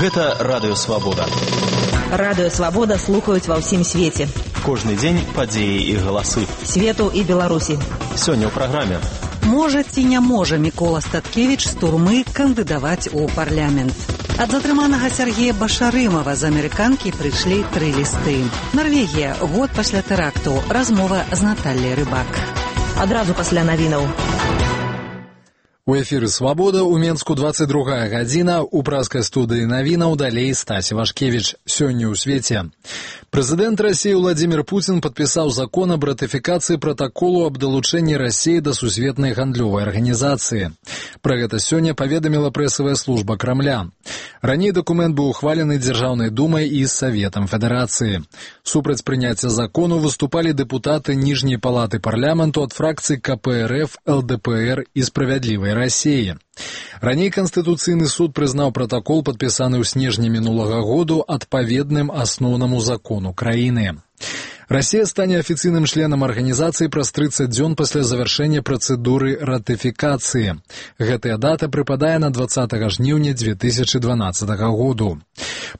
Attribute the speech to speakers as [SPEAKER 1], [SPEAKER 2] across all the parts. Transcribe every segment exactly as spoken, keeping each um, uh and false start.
[SPEAKER 1] Гэта Радыё Свабода.
[SPEAKER 2] Радыё Свабода слухаюць ва ўсім свеце.
[SPEAKER 1] Кожны дзень падзеі і галасы.
[SPEAKER 2] Свету і Беларусі.
[SPEAKER 1] Сёння ў праграме.
[SPEAKER 3] Можа ці не можа Мікола Статкевіч з турмы кандыдаваць у парламент? Ад затрыманага Сергея Башарымова з амерыканкі прыйшлі тры лісты. Нарвегія, год пасля тэракту. Размова з Натальяй Рыбак.
[SPEAKER 2] Адразу пасля навінаў.
[SPEAKER 4] У эфіры «Свабода» у Менску двадцать другая гадзіна, у праскай студыі навінаў далей Стась Вашкевіч. Сёння ў свеце. Прэзідэнт Расіі Владзімір Пуцін падпісаў закон аб ратыфікацыі пратаколу аб далучэнні Расіі да сусветнай гандлёвай арганізацыі. Пра гэта сёння паведаміла прэсавая служба Крамля. Раней дакумент быў ухвалены Дзяржаўнай думай і Саветам Федэрацыі. Супраць прыняцця закону выступалі дэпутаты ніжняй палаты парламенту ад фракцый ка пэ эр эф, эл дэ пэ эр і Справядлівай Расіі. Раней Канстытуцыйны суд прызнаў пратакол, падпісаны ў снежні мінулага году, адпаведным асноўнаму закону краіны. Расія стане афіцыйным членам арганізацыі праз трыццаць дзён пасля завяршэння працэдуры ратыфікацыі. Гэтая дата прыпадае на двадцатага жніўня дзве тысячы дванаццатага году.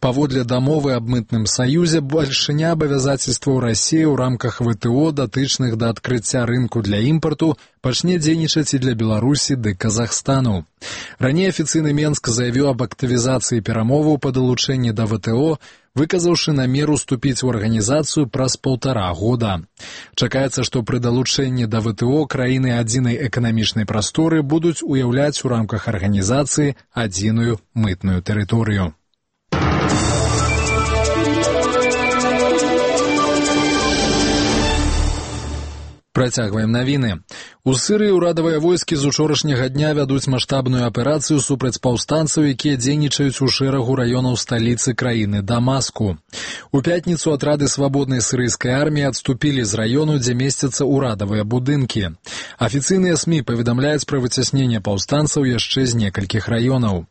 [SPEAKER 4] Паводле дамовы аб мытным саюзе, бальшыня абавязацельстваў Расіі ў рамках вэ тэ о, датычных да адкрыцця рынку для імпарту, пачне дзейнічаць і для Беларусі ды Казахстану. Раней афіцыйны Менск заявіў аб актывізацыі перамоваў па далучэнні да вэ тэ о, выказаўшы намер уступіць у арганізацыю праз паўтара года. Чакаецца, што пры далучэнні да вэ тэ о краіны адзінай эканамічнай прасторы будуць уяўляць у рамках арганізацыі адзіную мытную тэрыторыю. Працягваем навіны. У Сырыі ўрадавыя войскі з учорашняга дня вядуць маштабную аперацыю супраць паўстанцаў, якія дзейнічаюць у шэрагу раёнаў сталіцы краіны Дамаску. У пятніцу атрады свабоднай сырыйскай арміі адступілі з раёну, дзе месцяцца ўрадавыя будынкі. Афіцыйныя СМІ паведамляюць пра выцясненне паўстанцаў яшчэ з некалькіх раёнаў.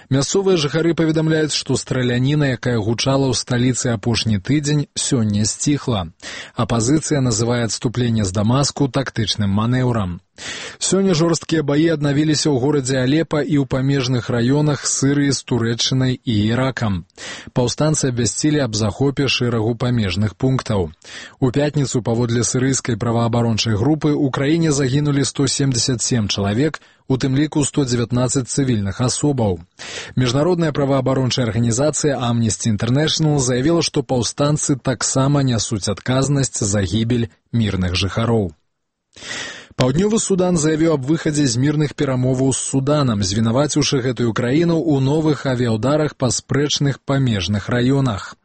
[SPEAKER 4] Мясцовыя жыхары паведамляюць, што страляніна, якая гучала ў сталіцы апошні тыдзень, сёння сціхла. Апазіцыя называе адступленне з Дамаску тактычным манеўрам. Сёння жорсткія баі аднавіліся ў горадзе Алепа і ў памежных раёнах Сырыі з Турэччынай і Іракам. Паўстанцы абвясцілі аб захопе шэрагу памежных пунктаў. У пятніцу, паводле сырыйскай праваабарончай групы, у краіне загінулі сто семдзесят сем чалавек, у тым ліку сто дзевятнаццаць цывільных асобаў. Міжнародная праваабарончая арганізацыя Amnesty International заявіла, што паўстанцы таксама нясуць адказнасць за гібель мірных жыхароў. Паўднёвы Судан заявіў аб выхадзе з мірных перамоваў з Суданам, звінаваціўшы гэтую краіну ў новых авіаўдарах па спрэчных памежных раёнах.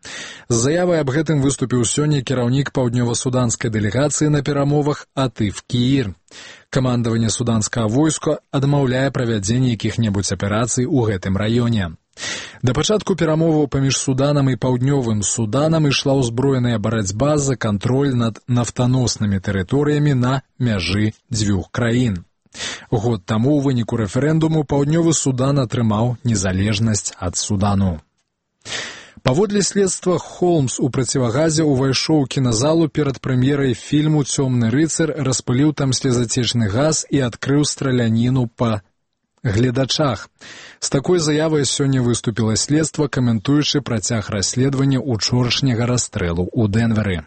[SPEAKER 4] З заявай аб гэтым выступіў сёння кіраўнік паўднёва-суданскай дэлегацыі на перамовах Атыф Кіір. Камандаванне суданскага войска адмаўляе правядзенне якіх-небудзь аперацый у гэтым раёне. Да пачатку перамоваў паміж Суданам і Паўднёвым Суданам ішла ўзброеная барацьба за кантроль над нафтаноснымі тэрыторыямі на мяжы дзвюх краін. Год таму ў выніку рэферэндуму Паўднёвы Судан атрымаў незалежнасць ад Судану. Паводле следства, Холмс у процівагазе ўвайшоў у кіназалу перад прэм'ерай фільму «Цёмны рыцар», распыліў там слезацечны газ і адкрыў страляніну па гледачах. З такой заявай сёння выступіла следства, каментуючы працяг расследавання учорашняга расстрэлу ў Дэнверы.